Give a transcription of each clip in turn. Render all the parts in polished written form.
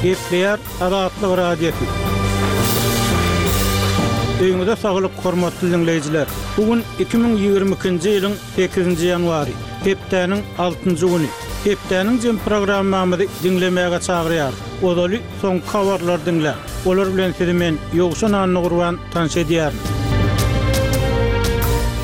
Gepleýär Azatlyk Radiosy. Öýüňize saglyk, hormatly diňleýjiler! Bu gün 2022-nji ýylyň sekizinji ýanwary, hepdäniň altynjy güni. Hepdäniň jem programmamyzy diňlemäge çagyrýarys. Ozaly soňky habarlary diňläň. Olar bilen sizi men, Ýowşan Annagurban, tanyş edýärin.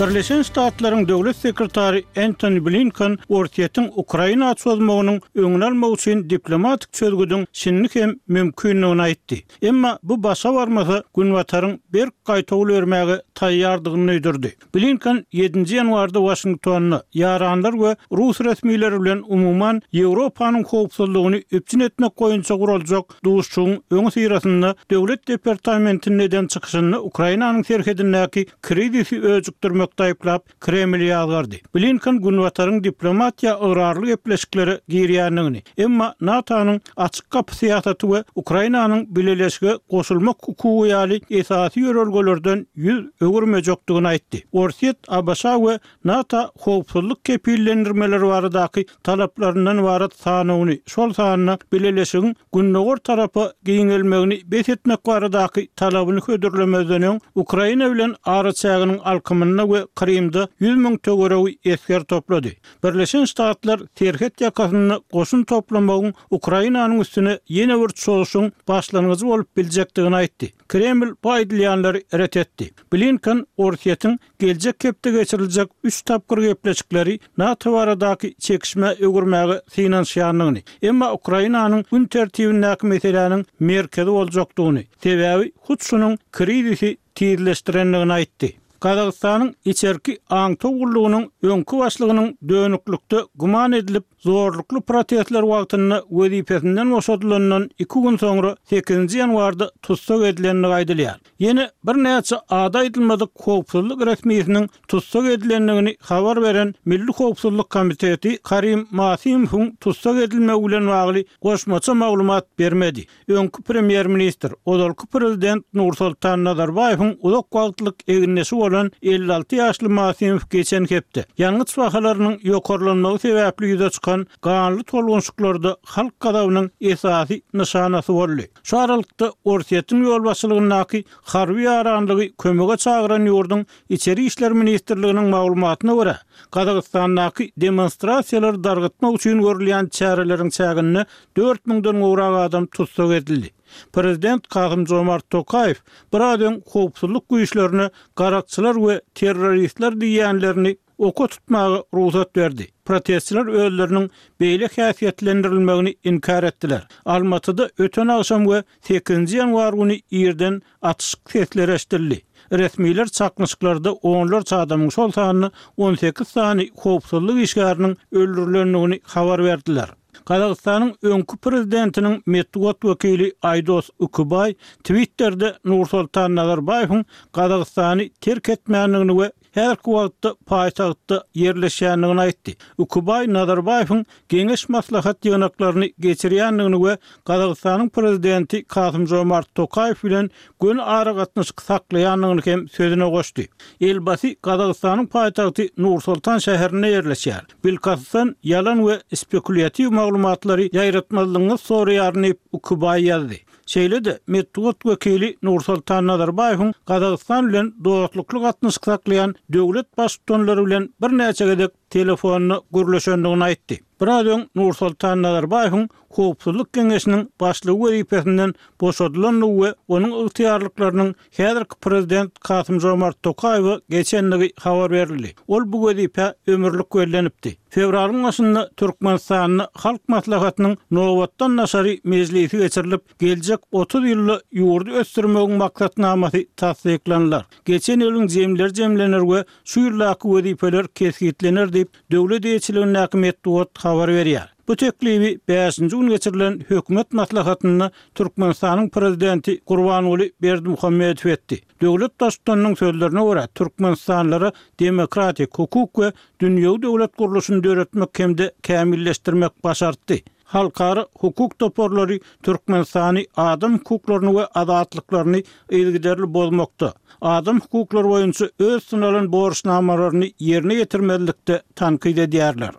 Birleşen Ştatlaryň Döwlet sekretary Entoni Blinken Orsýetiň Ukraina çozmagynyň öňüni almak üçin diplomatik çözgüdiň şindi hem mümkindigini aýtdy. Emma bu başa barmasa, Günbataryň berk gaýtawul bermäge taýýardygyny duýdurdy. Blinken ýedinji ýanwarda Waşingtonda ýaranlar we rus resmileri bilen umuman Ýewropanyň howpsuzlygyny üpjün etmek boýunça guraljak duşuşygyň öňüsyrasynda Döwlet departamentinde eden çykyşynda Ukrainanyň serhedindäki krizisi öjükdirmekde aýyplap, Kremli ýazgardy. Blinken Günbataryň diplomatiýa ygrarly gepleşiklere girýändigini, emma NATO-nyň açyk gapy syýasaty we Ukrainanyň bileleşige goşulmak hukugy ýaly esasy ýörelgelerden ýüz öwürmejekdigini aýtdy. Orsýet ABŞ-a we NATO howpsuzlyk kepillendirmeleri baradaky talaplaryndan ybarat sanawyny, şol sanda bileleşigiň gündogar tarapa giňelmegini bes etmek baradaky talabyny hödürlemezden öň, Ukraina bilen araçäginiň alkymynda we Krymda 100 müň töweregi esger toplady. Birleşen Ştatlar serhet ýakasynda goşun toplamagyň Ukrainanyň üstüne ýene bir çozuşyň başlangyjy bolup biljekdigini aýtdy. Kreml bu aýdylýanlary ret etdi. Blinken Orsýetiň geljek hepde geçiriljek üç tapgyr gepleşikleri NATO baradaky çekişmä öwürmäge synanyşýandygyny, emma Ukrainanyň gün tertibindäki meseläniň merkezi boljakdygyny, sebäbi hut şunuň krizisi tizleşdirendigini aýtdy. Gazagystanyň içerki aňtaw gullugynyň öňki başlygynyň dönüklikde güman edilip, zorlukly protestler wagtynda wezipesinden boşadylandan iki gün soňra sekizinji ýanwarda tussag edilendigi aýdylýar. Ýene birnäçe ady aýdylmadyk howpsuzlyk resmisiniň tussag edilendigini habar beren Milli howpsuzlyk komiteti Karim Masimowyň tussag edilmegi bilen bagly goşmaça maglumat bermedi. Öňki premýer-ministr, ozalky prezident Nursoltan Nazarbaýewiň uzak wagtlyk egindeşi bolan 56 ýaşly Masimow geçen hepde, ýangyç bahalarynyň ýokarlanmagy sebäpli ýüze çykan ganly tolgunşyklarda halk gazabynyň esasy nyşanasy boldy. Şu aralykda, Orsýetiň ýolbaşçylygyndaky harby ýaranlygy kömege çagyran ýurduň Içeri işler ministrliginiň maglumatyna görä, Gazagystandaky demonstrasiýalary dargytmak üçin görülýän çäreleriň çäginde dört müňden gowrak adam tussag edildi. Prezident Kasym-Jomart Tokaýew biraz öň howpsuzlyk güýçlerine garakçylar we terroristler diýýänlerini oka tutmaga rugsat berdi. Protestçiler özleriniň beýle häsiýetlendirilmegini inkär etdiler. Almatyda öten agşam we sekizinji ýanwar güni irden atyşyk sesleri eşidildi. Resmiler çaknyşyklarda onlarça adamyň, şol sanda 18 sany howpsuzlyk işgäriniň öldürilendigini habar berdiler. Gazagystanyň öňki prezidentiniň metbugat wekili Aýdos Ükibaý Twitterde Nursoltan Nazarbaýewiň Gazagystany terk etmändigini we häzirki wagtda paýtagtda ýerleşýändigini aýtdy. Ükibaý Nazarbaýewiň geňeş-maslahat ýygnaklaryny geçirýändigini we Gazagystanyň prezidenti Kasym-Žomart Tokaýew bilen göni aragatnaşyk saklaýandygyny hem sözüne goşdy. Elbasy Gazagystanyň paýtagty Nur-Sultan şäherinde ýerleşýär. Bilkastdan ýalan we spekulýatiw maglumatlary ýaýratmazlygyňyzy soraýaryn diýip, Ükibaý ýazdy. Şeýle-de, metbugat wekili Nursoltan Nazarbaýewiň Gazagystan bilen dostlukly gatnaşyk saklaýan döwlet baştutanlary bilen birnäçe gezek telefonda gürleşendigini aýtdy. Biraz öň Nursoltan Nazarbaýewiň Howpsuzlyk geňeşiniň başlygy wezipesinden boşadylandygy we onuň ygtyýarlyklarynyň häzirki prezident Kasym-Žomart Tokaýewe geçendigi habar berildi. Ol bu wezipä ömürlik bellenipdi. Fewralyň başynda Türkmenistanda Halk Maslahatynyň nobatdan daşary mejlisi geçirilip, geljek 30 ýylda ýurdy ösdürmegiň maksatnamasy tassyklanylar. Geçen ýylyň jemleri jemlener we şu ýyldaky wezipeler kesgitlener diýip, döwlet eýeçiligindäki metbugat habar berýär. Bu teklibi bäşinji gün geçirilen hökümet maslahatynda Türkmenistanyň Prezidenti Gurbanguly Berdimuhamedow etdi. Döwlet Baştutanynyň sözlerine görä, türkmenistanlylara demokratik, hukuk we dünýewi döwlet gurluşyny döretmek hem-de kämilleşdirmek başartdy. Halkara hukuk toparlary Türkmenistany adam hukuklaryny we azatlyklaryny yzygiderli bozmakda, adam hukuklary boýunça öz üstüne alan borçnamalaryny ýerine ýetirmezlikde tankyt edýärler.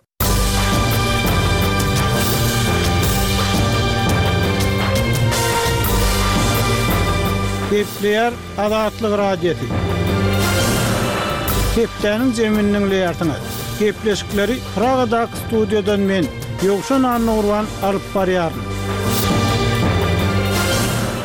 Gepleýär Azatlyk Radiosy. Hepdäniň jemini diňleýärsiňiz. Gepleşikleri Pragadaky studiýadan men, Ýowşan Annagurban alyp barýaryn.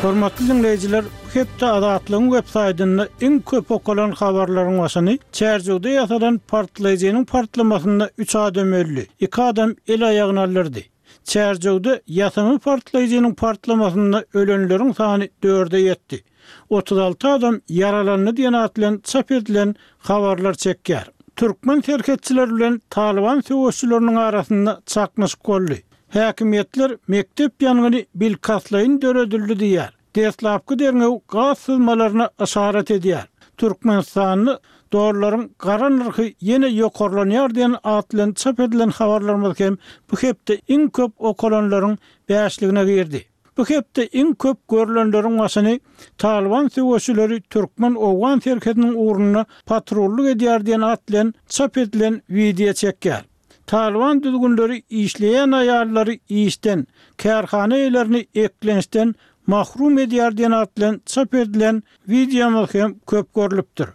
Hormatly diňleýjiler, bu hepde Azatlygyň websaýtynda iň köp okalan habarlaryň başyny Çärjewde ýasalan partlaýjynyň partlamasynda üç adam öldi, iki adam el-aýagyny aldyrdy. Çärjewde ýasama partlaýjynyň partlamasynda ölenleriň sany dörde ýetdi. 36 adam ýaralandy diýen at bilen çap edilen habarlar çekýär. Türkmen serhetçileri bilen Talyban söweşçileriniň arasynda çaknyşyk boldy. Häkimiýetler mekdep ýangyny bilkastlaýyn döredildi diýýär. Deslapky derňew gaz syzmalaryna yşarat edýär. Türkmenistanda dollaryň gara nyrhy ýene ýokarlanýar diýen at bilen çap edilen habarlarymyz hem bu hepde iň köp okalanlaryň bäşligine girdi. Bu hepde iň köp görlenleriň başyny Talyban söweşileri türkmen-owgan serhediniň ugrunda patrullyk edýär diýen at bilen çap edilen wideo çekýär. Talyban düzgünleri işleýän aýallary işden, kärhana eýelerini eklençden mahrum edýär diýen at bilen çap edilen wideomyz hem köp görlüpdir.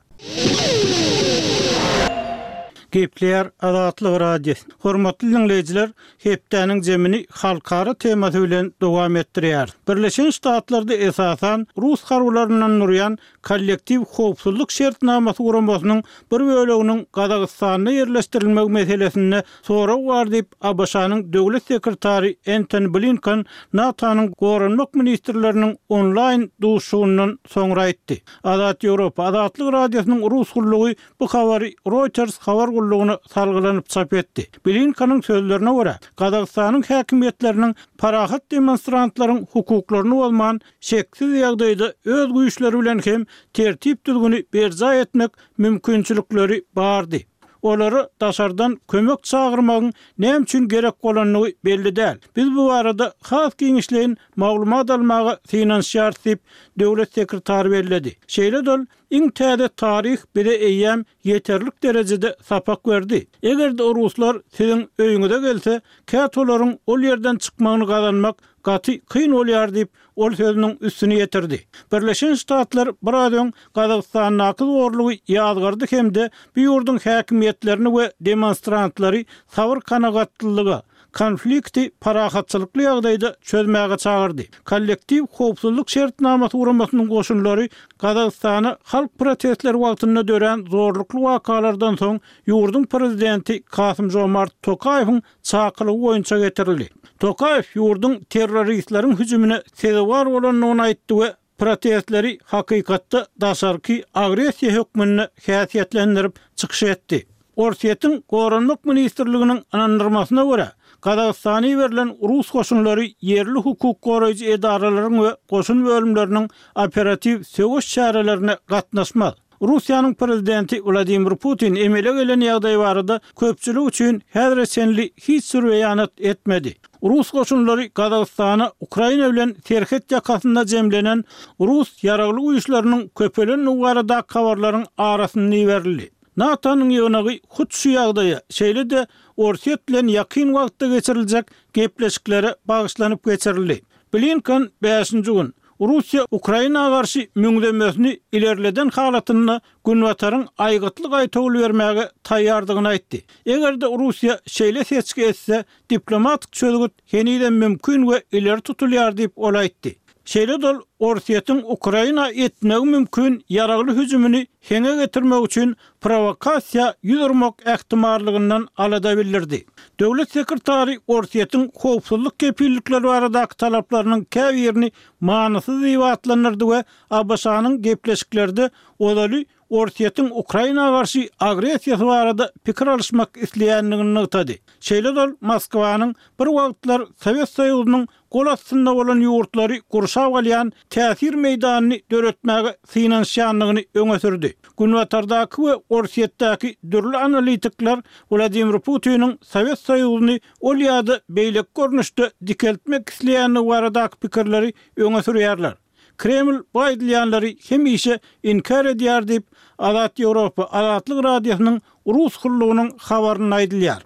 Gepleýär Azatlyk Radiosy. Hormatly diňleýjiler, hepdäniň jemini halkara temasy bilen dowam etdirýäris. Birleşen Ştatlarda esasan rus harbylaryndan durýan Kollektiw howpsuzlyk şertnamasy guramasynyň bir böleginiň Gazagystanda ýerleşdirilmegi meselesinde sorag bar diýip, ABŞ-nyň Döwlet sekretary Entoni Blinken NATO-nyň goranmak ministrleriniň onlaýn duşuşygyndan soňra aýtdy. Azat Ýewropa, Azatlyk Radiosynyň rus gullugy bu habary Reuters habar gullugyna salgylanyp çap etdi. Blinkeniň sözlerine görä, Gazagystanyň häkimiýetleriniň parahat demonstrantlaryň hukuklaryny bozman, şeksiz ýagdaýda öz güýçleri bilen hem tertip-düzgüni berjaý etmek mümkinçilikleri bardy. Olara daşardan kömek çagyrmagyň näme üçin gerek bolandygy belli däl. Biz bu barada has giňişleýin maglumat almaga synanyşýarys diýip, döwlet sekretary belledi. Şeýle-de ol, Iň täze taryh bize eýýäm ýeterlik derejede sapak berdi. Eger-de ruslar siziň öýüňize gelse, käte olaryň ol ýerden çykmagyny gazanmak gaty kyn bolýar diýip, ol sözüniň üstüni ýetirdi. Birleşen Ştatlar biraz öň Gazagystandaky zorlugy ýazgardy hem-de bu ýurduň häkimiýetlerini we demonstrantlary sabyr-kanagatlylyga, konflikti parahatçylykly ýagdaýda çözmäge çagyrdy. Kollektiw howpsuzlyk şertnamasy guramasynyň goşunlary Gazagystana halk protestleri wagtynda dörän zorlukly wakalardan soň ýurduň prezidenti Kasym-Žomart Tokaýewiň çakylygy boýunça getirildi. Tokaýew ýurduň terroristleriň hüjümine sezewar bolandygyny aýtdy we protestleri hakykatda daşarky agressiýa hökmünde häsiýetlendirip çykyş etdi. Orsýetiň Goranmak ministrliginiň ynandyrmasyna görä, Gazagystana iberilen rus goşunlary ýerli hukuk goraýjy edaralaryň we goşun bölümleriniň operatiw söweş çärelerine gatnaşmaz. Russiýanyň prezidenti Wladimir Putin emele gelen ýagdaý barada köpçülik üçin häzire çenli hiç bir beýanat etmedi. Rus goşunlary Gazagystana Ukraina bilen serhet ýakasynda jemlenen rus ýaragly güýçleriniň köpelendigi baradaky habarlaryň arasynda iberildi. NATO-nyň ýygnagy hut şu ýagdaýa, şeýle-de Orsýet bilen ýakyn wagtda geçiriljek gepleşiklere bagyşlanyp geçirildi. Blinken bäşinji gün, Russiýa Ukraina garşy müňzemesini ilerleden halatynda Günbataryň aýgytly gaýtawul bermäge taýýardygyny aýtdy. Eger-de Russiýa şeýle seçgi etse, diplomatik çözgüt henizem mümkin we ileri tutulýar diýip, ol aýtdy. Şeýle-de ol Orsýetiň Ukraina etmegi mümkin ýaragly hüjümini heňe getirmek üçin prowokasiýa ýüz urmak ähtimallygyndan alada bildirdi. Döwlet sekretary Orsýetiň howpsuzlyk kepillikleri baradaky talaplarynyň käbirini manysyz diýip atlandyrdy we ABŞ-nyň gepleşiklerde ozaly Orsýetiň Ukraina garşy agressiýasy barada pikir alyşmak isleýändigini nygtady. Şeýle-de ol Moskwanyň bir wagtlar Sowet Soýuzynyň gol astynda bolan ýurtlary gurşap alýan täsir meýdanyny döretmäge synanyşýandygyny öňe sürdi. Günbatardaky we Orsýetdäki dürli analitikler Wladimir Putiniň Sowet Soýuzyny ol ýa-da beýleki görnüşde dikeltmek isleýändigi baradaky pikirleri öňe sürýärler. Kreml bu aýdylýanlary hemişe inkär edýär diýip, Azat Ýewropa Azatlyk Radiosynyň Rus gullugynyň habarynda aýdylýar.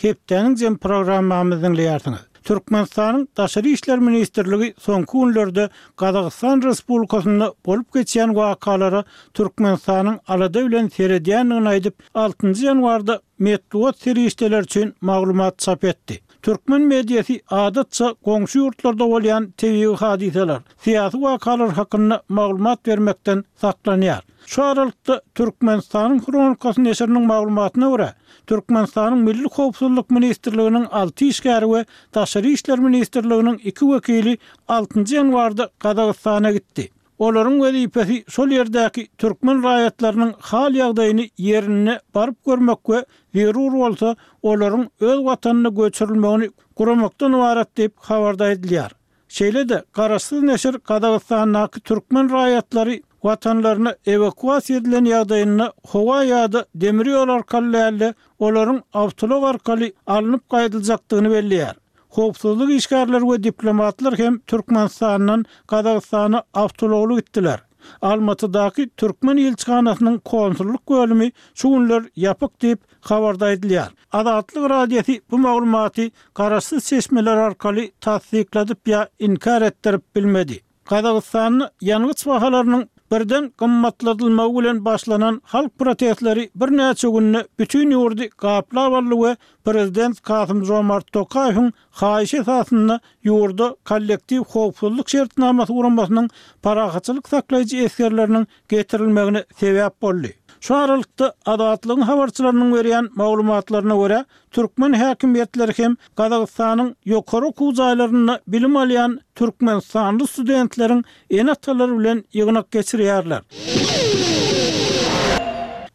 Hepdäniň jem programmamyzy diňleýärsiňiz. Türkmenistanyň Daşary işler ministrligi soňky günlerde Gazagystan Respublikasynda bolup geçýän wakalara Türkmenistanyň alada bilen seredýändigini aýdyp, altynjy ýanwarda metbugat serişdeleri üçin maglumat çap etdi. Türkmen mediasy adatça goňşy ýurtlarda bolýan tebigy hadysalar, syýasy wakalar hakynda maglumat bermekden saklanýar. Şu aralykda, Türkmenistanyň Hronikasy neşiriniň maglumatyna görä, Türkmenistanyň Milli howpsuzlyk ministrliginiň alty işgäri we Daşary işler ministrliginiň iki wekili altynjy ýanwarda Gazagystana gitdi. Olaryň wezipesi şol ýerdäki türkmen raýatlarynyň hal-ýagdaýyny ýerinde baryp görmek we zerur bolsa, olaryň öz watanyna göçürilmegini guramakdan ybarat diýip, habarda aýdylýar. Şeýle-de, garaşsyz neşir Gazagystandaky türkmen raýatlary watanlaryna ewakuasiýa edilen ýagdaýynda howa ýa-da demir ýol arkaly däl-de, olaryň awtoulag arkaly alnyp gaýdyljakdygyny belleýär. Howpsuzlyk işgärleri we diplomatlar hem Türkmenistandan Gazagystana awtoulagly gitdiler. Almatydaky türkmen ilçihanasynyň konsullyk bölümi şu günler ýapyk diýip, habarda aýdylýar. Azatlyk Radiosy bu maglumaty garaşsyz çeşmeler arkaly tassykladyp ýa inkär etdirip bilmedi. Gazagystanda ýangyç bahalarynyň birden gymmatladylmagy bilen başlanan halk protestleri birnäçe günde bütin ýurdy gaplap aldy we prezident Kasym-Žomart Tokaýewiň haýyşy esasynda ýurda Kollektiw howpsuzlyk şertnamasy guramasynyň parahatçylyk saklaýjy esgerleriniň getirilmegine sebäp boldy. Şu aralykda, Azatlygyň habarçylarynyň berýän maglumatlaryna görä, türkmen häkimiýetleri hem Gazagystanyň ýokary okuw jaýlarynda bilim alýan türkmenistanly studentleriň ene-atalary bilen ýygnak geçirýärler.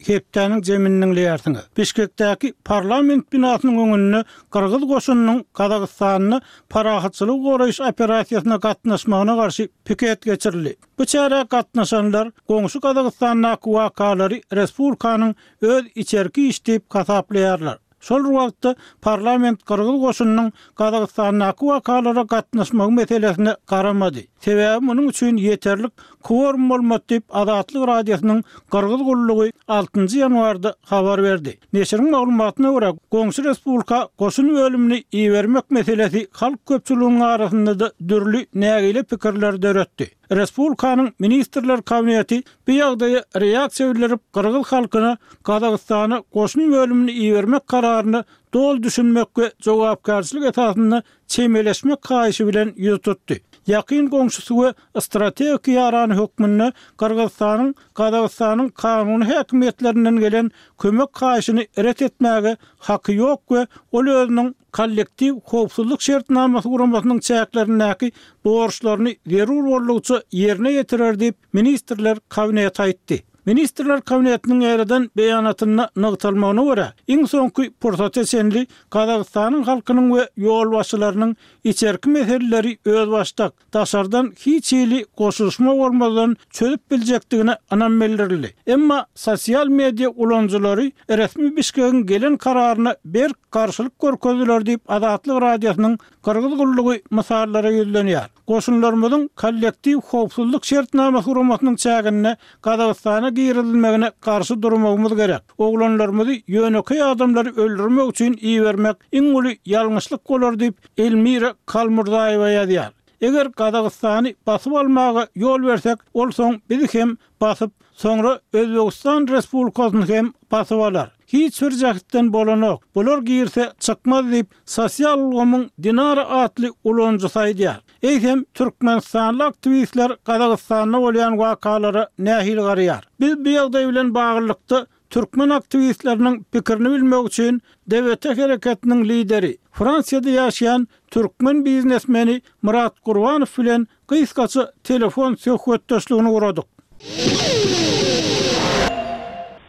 Hepdäniň jemini diňleýärsiňiz. Bişkekdäki parlament binasynyň öňünde gyrgyz goşunynyň Gazagystanda parahatçylygy goraýyş operasiýasyna gatnaşmagyna garşy piket geçirildi. Bu çärä gatnaşanlar goňşy Gazagystandaky wakalary respublikanyň öz içerki işi diýip hasaplaýarlar. Şol bir wagtda, parlament gyrgyz goşunynyň Gazagystandaky wakalara gatnaşmagy meselesine garamady. Sebäbi munuň üçin ýeterlik kworum bolmady diýip, Azatlyk Radiosynyň Gyrgyz gullugy altynjy ýanwarda habar berdi. Neşiriň maglumatyna görä, goňşy respublika goşun bölümini ibermek meselesi halk köpçüliginiň arasynda-da dürli nägile pikirleri döretdi. Respublikanyň Ministrler Kabineti bu ýagdaýa reaksiýa bildirip, gyrgyz halkyna Gazagystana goşun bölümini ibermek kararyna doly düşünmek we jogapkärçilik esasynda çemeleşmek haýyşy bilen ýüz tutdy. Ýakyn goňşusy we strategik ýarany hökmünde Gyrgyzystanyň Gazagystanyň kanuny häkimiýetlerinden gelen kömek haýyşyny ret etmäge haky ýok we ol özüniň Kollektiw howpsuzlyk şertnamasy guramasynyň çäklerindäki borçlaryny zerur boldugyça ýerine ýetirer diýip, Ministrler Kabineti aýtdy. Ministrler Kabinetiniň ýaýradan beýanatynda nygtalmagyna görä, iň soňky pursata çenli Gazagystanyň halkynyň we ýolbaşçylarynyň içerki meseleleri özbaşdak, daşardan hiç hili goşulyşma bolmazdan çözüp biljekdigine ynam bildirildi. Emma sosial media ulanyjylary resmi Bişkegiň gelen kararyna berk garşylyk görkezdiler diýip, Azatlyk Radiosynyň Gyrgyz gullugy mysallara ýüzlenýär. Goşunlarymyzyň Kollektiw howpsuzlyk şertnamasy guramasynyň çäginde Gazagystana girizilmegine garşy durmagymyz gerek. Oglanlarymyzy ýönekeý adamlary öldürmek üçin ibermek iň uly ýalňyşlyk bolar diýip, Elmira Kalmurzaýewa ýazýar. Eger Gazagystany basyp almaga ýol bersek, ol soň bizi hem basyp, soňra Özbegistan Respublikasyny hem basyp alar. Hiç bir jähtden bolanok. Bular girse çykmaz diýip, sosial ulgamyň Dinara atly ulanyjysy aýdýar. Eýsem, türkmenistanly aktiwistler Gazagystanda bolýan wakalara nähili garaýar? Biz bu ýagdaý bilen baglylykda türkmen aktiwistleriniň pikirini bilmek üçin DWT hereketiniň lideri, Fransiýada ýaşaýan türkmen biznesmeni Myrat Gurbanow bilen gysgaça telefon söhbetdeşligini guradyk.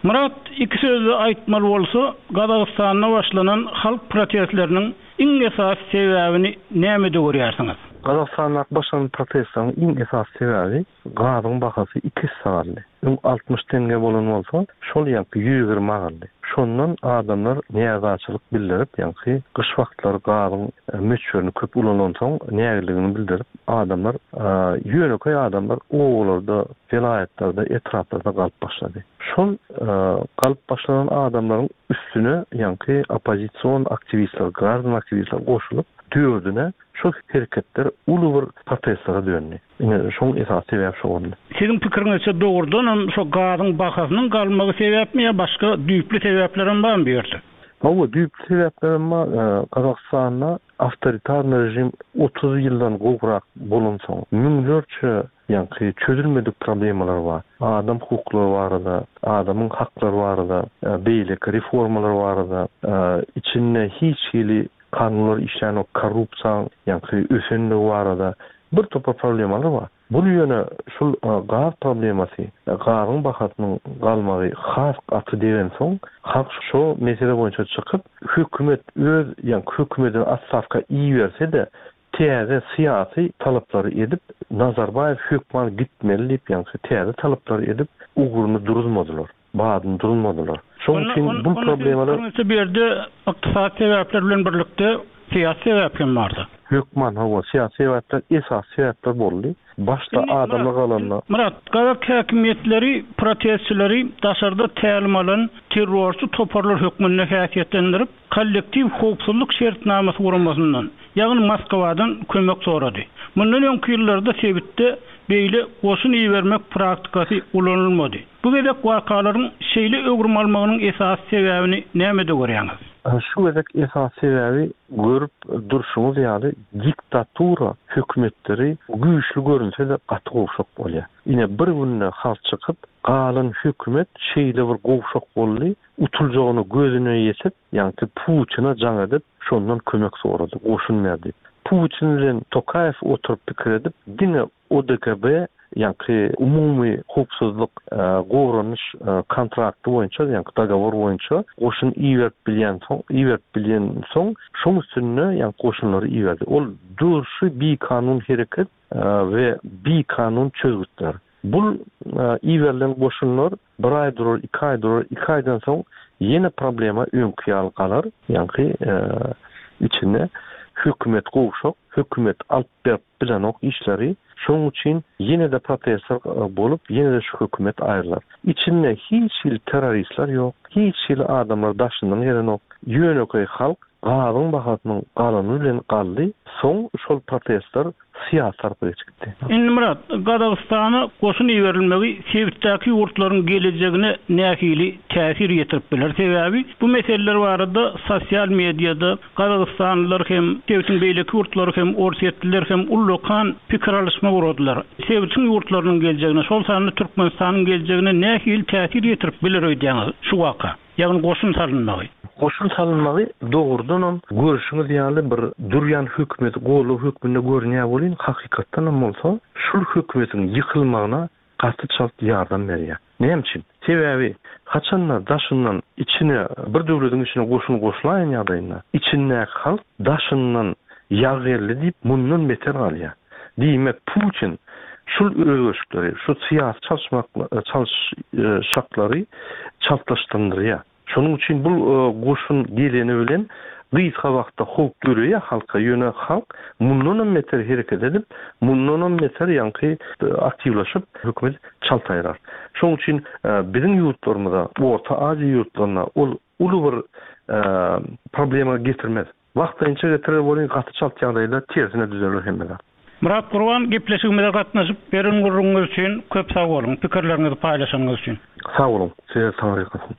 Myrat, iki sözde aýtmaly bolsa, Gazagystanda başlanan halk protestleriniň iň esasy sebäbini nämede görýärsiňiz? Gazagystandaky başlanan protestleriň iň esasy sebäbi gazyň bahasy iki esse galdy. Öň 60 teňňe bolan bolsa, şol ýaňky 120 galdy. Şondan adamlar närazyçylyk bildirip, ýaňky gyş wagtlary gazyň möçberini köp ulanansoň nägileligini bildirip, adamlar, ýönekeý adamlar obalarda, welaýatlarda, etraplarda galyp başlady. Şol galyp başlanan adamlaryň üstüne ýaňky oppozision aktiwistler, graždan aktiwistler goşulyp, dördüne şol hereketler uly bir protestlere döndi. Ine, şoň esasy sebäbi şo boldy. Siziň pikiriňizçe dogrudanam şo gazyň bahasynyň galmagy sebäpmi ýa başga düýpli sebäplerem barmy bu ýerde? Hawa, düýpli sebäplerem bar. Gazagystanda awtoritarnyý režim 30 ýyldan gowrak bolansoň, müňlerçe ýaňky çözülmedik problemalar bar. Adam hukuklary barada, adamyň haklary barada, beýleki reformalar barada içinde hiç hili kanunlar işlänok, korrupsiýaň ýaňky ösenligi barada bir topar problemalar bar. Bul ýöne şul gaz problemasy, gazyň bahasynyň galmagy has gaty degensoň, halk şo mesele boýunça çykyp, hökümet öz ýaňky hökümetini otstawka iberse-de, täze syýasy talaplary edip, Nazarbaýew hökman gitmeli diýip ýaňky täze talaplary edip, ugruny duruzmadylar, badyny duruzmadylar. Şoň üçin bul problemalar. Onda siziň pikiriňizçe bu ýerde ykdysady sebäpler bilen birlikde syýasy sebäp hem barda? Hökman hawa, syýasy sebäpler esasy sebäpler boldy. Başda adamlar galanda. Myrat, gazak häkimiýetleri protestçileri daşarda tälim alan terrorçy toparlar hökmünde häsiýetlendirip, Kollektiw howpsuzlyk şertnamasy guramasyndan, ýagny Moskwadan kömek sorady. Mundan öňki ýyllarda sebitde beýle goşun ibermek praktikasy ulanylmady. Bu gezek wakalaryň şeýle öwrüm almagynyň esasy sebäbini nämede görýäňiz? Şu gezek esasy sebäbi görüp durşuňyz ýaly diktatura hökümetleri güýçli görünse-de gaty gowşak bolýar. Ine bir günde halk çykyp galan hökümet şeýle bir gowşak boldy, utuljagyna gözüne ýetip, ýaňky Putine jaň edip, şondan kömek sorady, goşun ber diýip. Putin bilen Tokaýew oturyp pikir edip, diňe ODKB, ýaňky umumy howpsuzlyk goranyş kontrakty boýunça, ýaňky dogowor boýunça goşun iberip bilýänsoň, iberip bilýänsoň, şoň üstünde ýaňky goşunlary iberdi. Ol durşy bikanun hereket we bikanun çözgütler. Bul iberilen goşunlar bir aý durar, iki aý durar, iki aýdan soň ýene problema öňki ýaly galar. Ýaňky içinde hökümet gowşak, hökümet alyp berip bilenok işleri. Şonuň üçin ýene-de protestler bolup, ýene-de şu hökümet aýrylar. Içinde hiç hili terroristler ýok, hiç hili adamlar daşyndan gelenok. Ýönekeý halk gazyň bahasynyň galany bilen galdy. Soň şol protestler syýasy tarapa geçip gitdi. Indi Myrat, Gazagystana goşun iberilmegi sebitdäki ýurtlaryň gelejegine nähili täsir ýetirip biler? Sebäbi bu meseleler barada sosial mediada gazagystanlylar hem, sebitiň beýleki ýurtlary hem, orsýetliler hem ullakan pikir alyşma guradylar. Sebitiň ýurtlarynyň geljegine, şol sanda Türkmenistanyň geljegine nähili täsir ýetirip biler öýdýäňiz şu waka? Ýagny goşun salynmagy. Goşun salynmagy dogrudanam görşüňiz ýaly bir durýan hökümeti goldaw hökmünde görünýär welin hakykatdanam bolsa şul hökümetiň ýykylmagyna gaty çalt ýardam berýär. Näme üçin? Sebäbi haçanda daşyndan içine bir döwlediň içine goşun goşulaýan ýagdaýynda içindäki halk daşyndan ýag geldi diýip mundan beter galýar. Diýmek Putin şul özgerişikleri, şu syýasy çalyşmak çalyşaklary çaltlaşdyndyrýar. Şonuň üçin bul goşun geleni bilen gysga wagtda howp döreýär halka, ýöne halk mundanam beter hereket edip, mundanam beter ýaňky aktiwlaşyp hökümet çalt aýrar. Şonuň üçin biziň ýurtlarymyza, Orta Aziýa ýurtlaryna ol uly bir problema getirmez. Wagtlaýynça getirer welin gaty çalt ýagdaýda tersine düzeler hemme zat. Myrat Gurban gepleşigimize gatnaşyp beren gürrüňiňiz üçin köp sag boluň, pikirleriňizi paýlaşanyňyz üçin. Sag boluň, size taňryýalkasyn.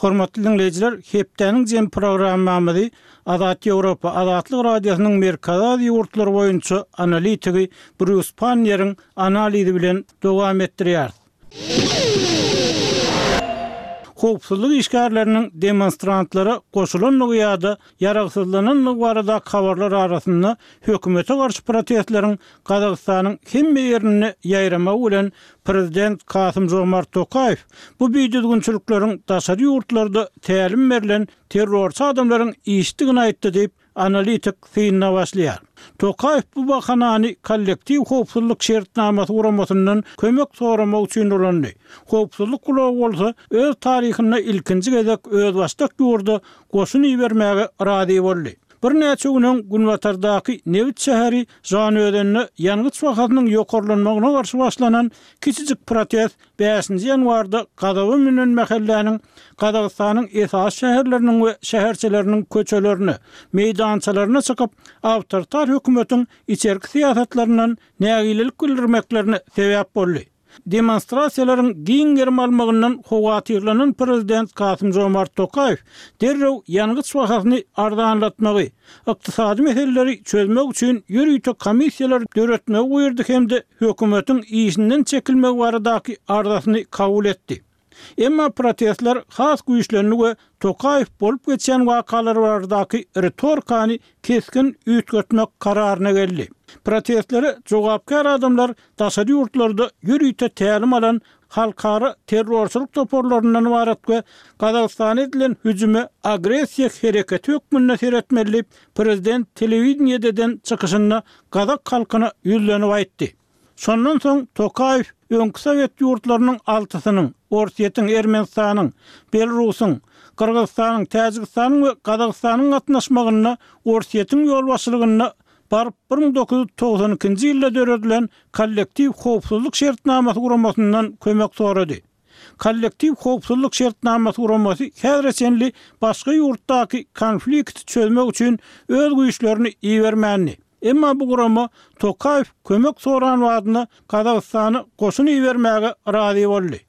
Hormatly diňleýjiler, hepdäniň jemi programmamyzy Azat Ýewropa, Azatlyk Radiosynyň Merkezi Aziýa ýurtlary boýunça analitigi Brýus Panniýeriň analizi bilen dowam etdirýäris. Howpsuzlyk işgärleriniň demonstrantlara goşulandygy ýa-da ýaragsyzlanandygy baradaky habarlar arasynda hökümete garşy protestleriň Gazagystanyň hemme ýerinde ýaýramagy bilen prezident Kasym-Žomart Tokaýew bu bidüzgünçilikleriň daşary ýurtlarda tälim berlen terrorçy adamlaryň işidigini aýtdy diýip, Analitik synyna başlaýar. Tokaýew bu bahanany Kollektiw howpsuzlyk şertnamasy guramasyndan kömek soramak üçin ulandy. Howpsuzlyk gulagy bolsa öz taryhynda ilkinji gezek özbaşdak ýurda goşun ibermäge razy boldy. Birnäçe gün öň günbatardaky nebit şäheri Žanaözende ýangyç bahasynyň ýokarlanmagyna garşy başlanan kiçijik protest bäşinji ýanwarda gazaba münen mähelläniň Gazagystanyň esasy şäherleriniň we şäherçeleriniň köçelerine, meýdançalaryna çykyp, awtoritar hökümetiň içerki syýasatlaryndan nägilelik bildirmeklerine sebäp boldy. Demonstrasiýalaryň giň gerim almagyndan howatyrlanan prezident Kasym-Žomart Tokaýew derrew ýangyç bahasyny arzanlatmagy, ykdysady meseleleri çözmek üçin ýörite komissiýalar döretmegi buýurdy hem-de hökümetiň işinden çekilmegi baradaky arzasyny kabul etdi. Emma protestler has güýçlendi we Tokaýew bolup geçýän wakalar baradaky ritorikany kesgin üýtgetmek kararyna geldi. Protestlere jogapkär adamlar daşary ýurtlarda ýörite tälim alan halkara terrorçylyk toparlaryndan ybarat we Gazagystana edilen hüjüme agressiýa hereketi hökmünde seretmeli diýip, prezident telewideniýede eden çykyşynda gazak halkyna ýüzlenip aýtdy. Şondan soň Tokaýew öňki sowet ýurtlarynyň altysynyň, Orsýetiň, Ermenistanyň, Belarusyň, Gyrgyzystanyň, Täjigistanyň we Gazagystanyň gatnaşmagynda Orsýetiň ýolbaşçylygynda baryp 1992-nji ýylda döredilen Kollektiw howpsuzlyk şertnamasy guramasyndan kömek sorady. Kollektiw howpsuzlyk şertnamasy guramasy häzire çenli başga ýurtdaky konflikti çözmek üçin öz güýçlerini ibermändi. Emma bu gurama Tokaýew kömek soran badyna Gazagystana goşun ibermäge razy boldy.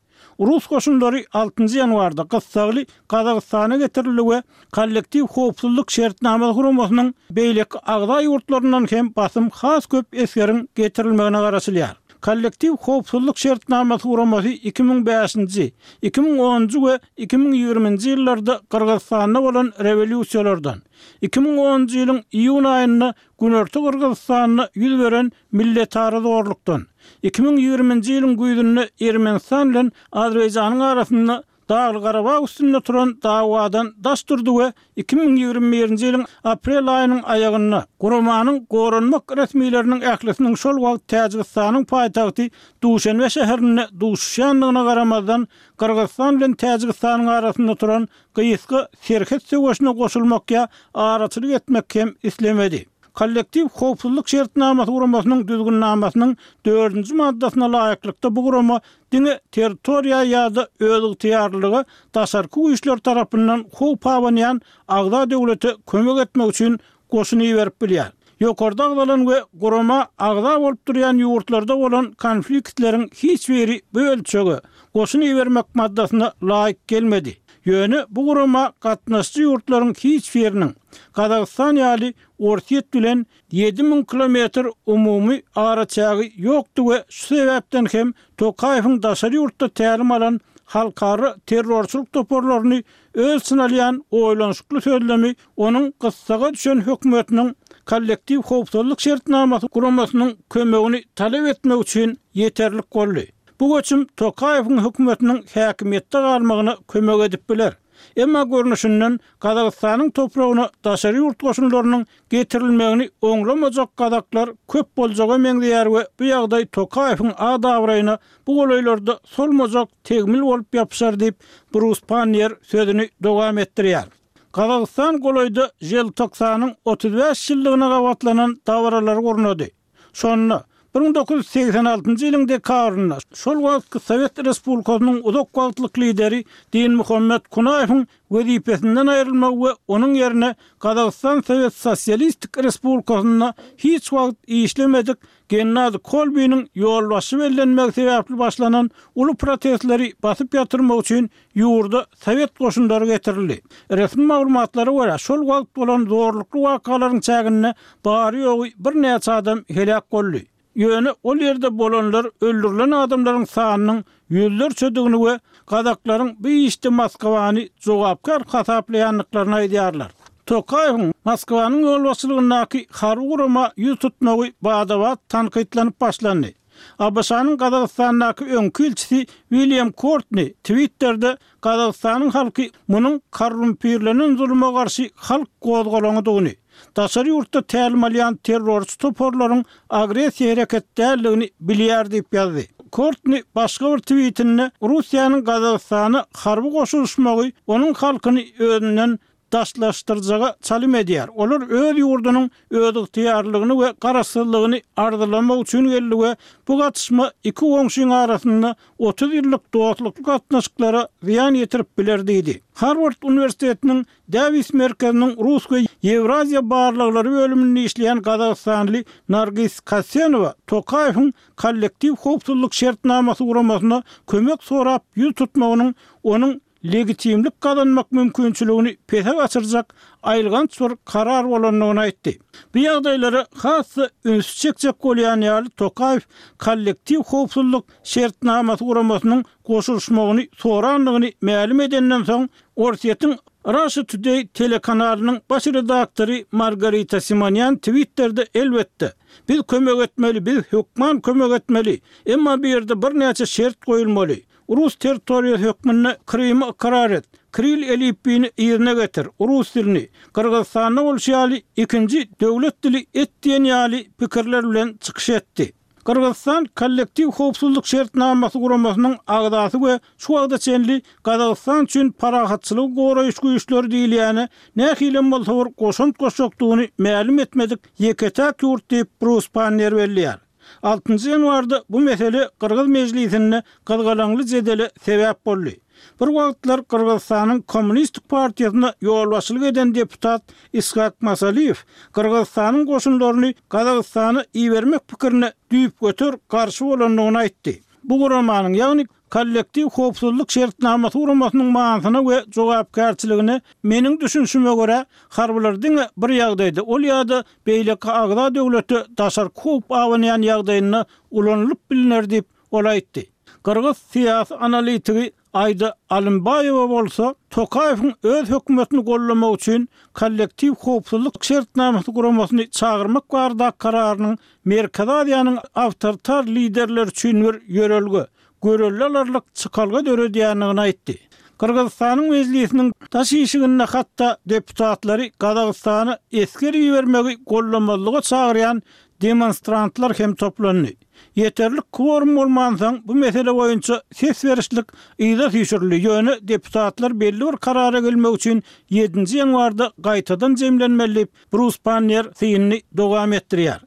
Rus goşunlary altynjy ýanwarda gyssagly Gazagystana getirildi we Kollektiw howpsuzlyk şertnamasy guramasynyň beýleki agza ýurtlaryndan hem basym has köp esgeriň getirilmegine garaşylýar. Kollektiw howpsuzlyk şertnamasy guramasy 2005-nji, 2010-njy we 2020-nji ýyllarda Gyrgyzystanda bolan rewolýusiýalardan, 2010-njy ýylyň iýun aýynda Günorta Gyrgyzystanda ýüz beren milletara zorlukdan, 2020-nji ýylyň güýzünde Ermenistan bilen Azerbaýjanyň arasynda Dagly-Garabag üstünde turan dawadan daş durdy we 2021-nji ýylyň aprel aýynyň aýagynda guramanyň goranmak resmileriniň ählisiniň şol wagt Täjigistanyň paýtagty Duşenbe şäherinde duşuşýandygyna garamazdan Gyrgyzystan bilen Täjigistanyň arasynda turan gysga serhet söweşine goşulmak ýa araçylyk etmek hem islemedi. Kollektiw howpsuzlyk şertnamasy guramasynyň düzgünnamasynyň dördünji maddasyna laýyklykda bu gurama diňe territoriýa ýa-da özygtyýarlylyga daşarky güýçler tarapyndan howp abanýan agza döwlete kömek etmek üçin goşun iberip bilýär. Ýokarda agzalan we gurama agza bolup durýan ýurtlarda bolan konfliktleriň hiç biri bu ölçege, goşun ibermek maddasyna laýyk gelmedi. Ýöne bu gurama gatnaşyjy ýurtlaryň hiç biriniň, Gazagystan ýaly Orsýet bilen 7000 kilometr umumy araçägi ýokdy we şu sebäpden hem Tokaýewiň daşary ýurtda tälim alan halkara terrorçylyk toparlaryny öz içine alýan oýlanyşykly sözlemi onuň gyssaga düşen hökümetiniň Kollektiw howpsuzlyk şertnamasy guramasynyň kömegini talap etmek üçin ýeterlik boldy. Bu göçüm Tokaýewiň hökümetiniň häkimiýetde galmagyna kömek edip biler. Emma görnüşinden Gazagystanyň topragyna daşary ýurt goşunlarynyň getirilmegini oňlamajak gazaklar köp boljaga meňzeýär we bu ýagdaý Tokaýewiň at-abraýyna bu golaýlarda solmajak tegmil bolup ýapyşar diýip, Brus Panniýer sözüni dowam etdirýär. Gazagystan golaýda Želtoksanyň 35 ýyllygyna gabatlanan dabaralary gurnady. Şonda, 1986-njy ýylyň dekabrynda şol wagtky Sowet Respublikasynyň uzak wagtlyk lideri Dinmuhammet Kunaýewiň wezipesinden aýrylmagy we onuň ýerine Gazagystan Sowet Sosialistik Respublikasynda hiç wagt işlemedik Gennadiý Kolbiniň ýolbaşçy bellenmegi sebäpli başlanan uly protestleri basyp ýatyrmak üçin ýurda sowet goşunlary getirildi. Resmi maglumatlara görä, şol wagt bolan zorlukly wakalaryň çäginde bary-ýogy birnäçe adam heläk boldy. Ýöne ol ýerde bolanlar öldürilen adamlaryň sanynyň ýüzlerçedigini we gazaklaryň bu işde Moskwany jogapkär hasaplaýandyklaryny aýdýarlar. Tokaýewiň Moskwanyň ýolbaşçylygyndaky harby gurama ýüz tutmagy bada-bat tankytlanyp başlandy. ABŞ-nyň Gazagystandaky öňki ilçisi William Kortni Twitterde Gazagystanyň halky munuň korrumpirlenen zuluma garşy halk gozgalaňydygyny, daşary ýurtda tälim alýan terrorçy toparlaryň agressiýa hereket däldigini bilýär diýip ýazdy. Kortni başga bir twitinde Russiýanyň Gazagystana harby goşulyşmagy onuň halkyny özünden. daşlaşdyrjaga çalym edýär. Olar öz ýurdunyň özygtyýarlylygyny we garaşsyzlygyny arzylamak üçin geldi we bu gatyşma iki goňşyň arasynda 30 ýyllyk dostlukly gatnaşyklara zyýan ýetirip biler diýdi. Harward uniwersitetiniň Dawis merkeziniň rus we ýewraziýa barlaglary bölüminde işleýän gazagystanly Nargis Kasenowa Tokaýewiň Kollektiw howpsuzlyk şertnamasy guramasyna kömek sorap ýüz tutmagynyň onuň legitimlik gazanmak mümkinçiligini pese gaçyrjak aýylganç bir karar bolandygyny aýtdy. Bu ýagdaýlara has-da ünsi çekjek bolýan ýaly Tokaýew Kollektiw howpsuzlyk şertnamasy guramasynyň goşulyşmagyny sorandygyny mälim edenden soň Orsýetiň Russia Today telekanalynyň baş redaktory Margarita Simonýan Twitterde Elbetde, biz kömek etmeli, biz hökman kömek etmeli, emma bu ýerde birnäçe şert goýulmaly. Rus territoriýasy hökmünde Krymy ykrar et, kril elipbiýini yzyna getir, rus dilini, Gyrgyzystanda bolşy ýaly, ikinji döwlet dili et diýen ýaly pikirler bilen çykyş etdi. Gyrgyzystan Kollektiw howpsuzlyk şertnamasy guramasynyň agzasy we şu wagta çenli Gazagystan üçin parahatçylygy goraýyş güýçleri diýilýäne nähilem bolsa bir goşant goşjakdygyny mälim etmedik ýeke-täk ýurt diýip, Brus Panniýer belleýär. Altynjy ýanwarda bu mesele gyrgyz mejlisinde gyzgalaňly jedele sebäp boldy. Bir wagtlar Gyrgyzystanyň Kommunistik partiýasyna ýolbaşçylyk eden deputat Ishak Masaliýew Gyrgyzystanyň goşunlaryny Gazagystana ibermek pikirine düýpgöter garşy bolandygyny aýtdy. Bu guramanyň, ýagny Kollektiw howpsuzlyk şertnamasy guramasynyň manysyna we jogapkärçiligine meniň düşünişime görä, harbylar diňe bir ýagdaýda, ol ýa-da beýleki agza döwlete daşarky howp abanýan ýagdaýynda ulanylyp bilner diýip, ol aýtdy. Gyrgyz syýasy analitigi Aida Alymbaýewa bolsa, Tokaýewiň öz hökümetini goldamak üçin Kollektiw howpsuzlyk şertnamasy guramasyny çagyrmak baradaky kararynyň Merkezi Aziýanyň awtoritar liderleri üçin bir ýörelge, görelde alarlyk çykalga döredýändigini aýtdy. Gyrgyzystanyň Mejlisiniň daş işiginde hatda deputatlary Gazagystana esger ibermegi goldamazlyga çagyrýan demonstrantlar hem toplandy. Ýeterlik kworum bolmansoň, bu mesele boýunça ses berişlik yza süýşürildi, ýöne deputatlar belli bir karara gelmek üçin ýedinji ýanwarda gaýtadan jemlenmeli diýip, Brus Panniýer synyny dowam etdirýär.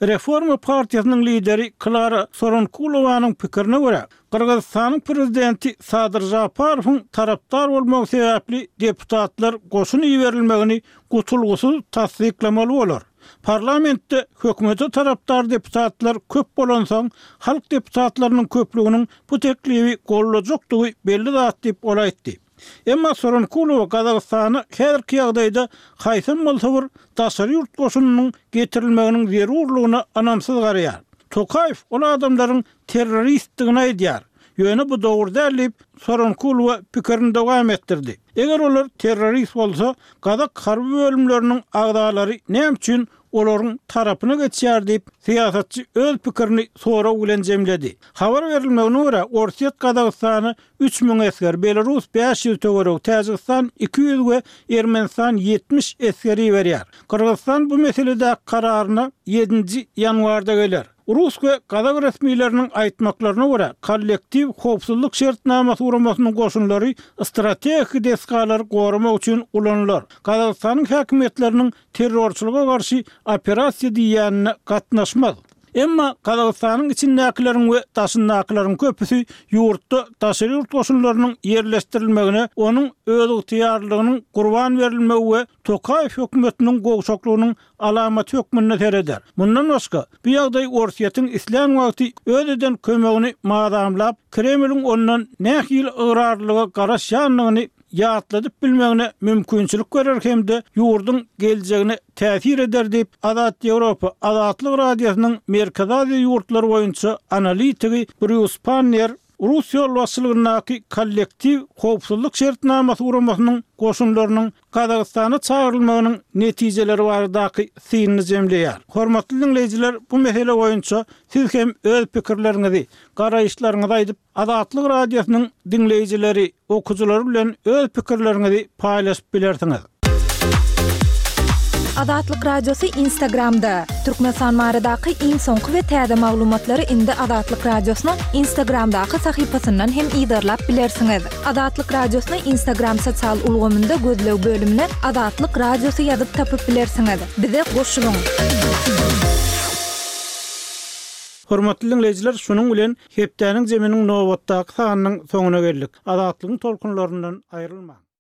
Reforma partiýasynyň lideri Klara Soronkulowanyň pikirine görä, Gyrgyzystanyň prezidenti Sadyr Žaparowyň tarapdar bolmagy sebäpli deputatlar goşun iberilmegini gutulgysyz tassyklamaly bolar. Parlamentde hökümete tarapdar deputatlar köp bolansoň, halk deputatlarynyň köplüginiň bu teklibi goldajakdygy belli zat diýip, ol aýtdy. Emma Soronkulowa Gazagystana häzirki ýagdaýda haýsam bolsa bir daşary ýurt goşunynyň getirilmeginiň zerurlygyna ynamsyz garaýar. Tokaýew ol adamlaryň terroristdigini aýdýar. Ýöne bu dogry däl diýip, Soronkulowa pikirini dowam etdirdi. Eger olar terrorist bolsa, gazak harby bölümleriniň agzalary näme üçin olaryň tarapyna geçýär diýip, syýasatçy öz pikirini sorag bilen jemledi. Habar berilmegine görä, Orsýet Gazagystana 3000 esger, Belarus 500 töweregi, Täjigistan 200 we Ermenistan 70 esger iberýär. Gyrgyzystan bu meseledäki kararyna ýedinji ýanwarda geler. Rus we gazak resmileriniň aýtmaklaryna görä, Kollektiw howpsuzlyk şertnamasy guramasynyň goşunlary strategiki desgalary goramak üçin ulanylar. Gazagystanyň häkimiýetleriniň terrorçylyga garşy operasiýa diýýänine gatnaşmaz. Emma Gazagystanyň içindäkileriň we daşyndakylaryň köpüsi ýurtda daşary ýurt goşunlarynyň ýerleşdirilmegine onuň özygtyýarlylygynyň gurban berilmegi we Tokaýew hökümetiniň gowşaklygynyň alamaty hökmünde sereder. Mundan başga, bu ýagdaý Orsýetiň islän wagty öz eden kömegini mazamlap, Kremliň ondan nähili ygrarlylyga garaşýandygyny ýatladyp bilmegine mümkinçilik berer hem-de ýurduň geljegine täsir eder diýip, Azat Ýewropa, Azatlyk Radiosynyň Merkezi Aziýa ýurtlary boýunça analitigi Brýus Panniýer rus ýolbaşçylygyndaky Kollektiw howpsuzlyk şertnamasy guramasynyň goşunlarynyň Gazagystana çagyrylmagynyň netijeleri baradaky synyny jemleýär. Hormatly diňleýjiler, bu mesele boýunça siz hem öz pikirleriňizi, garaýyşlaryňyzy aýdyp, Azatlyk Radiosynyň diňleýjileri, okyjylary bilen öz pikirleriňizi paýlaşyp bilersiňiz. Azatlyk Radiosy Instagramda! Türkmenistan baradaky iň soňky we täze maglumatlary indi Azatlyk Radiosynyň Instagramdaky sahypasyndan hem yzarlap bilersiňiz. Azatlyk Radiosyny Instagram sosial ulgamynda gözleg bölümine Azatlyk Radiosy ýazyp tapyp bilersiňiz. Bize goşulyň! Hormatly diňleýjiler, şunuň bilen hepdäniň zeminiň nobatdaky sanynyň soňuna geldik. Azatlygyň tolkunlaryndan aýrylmaň!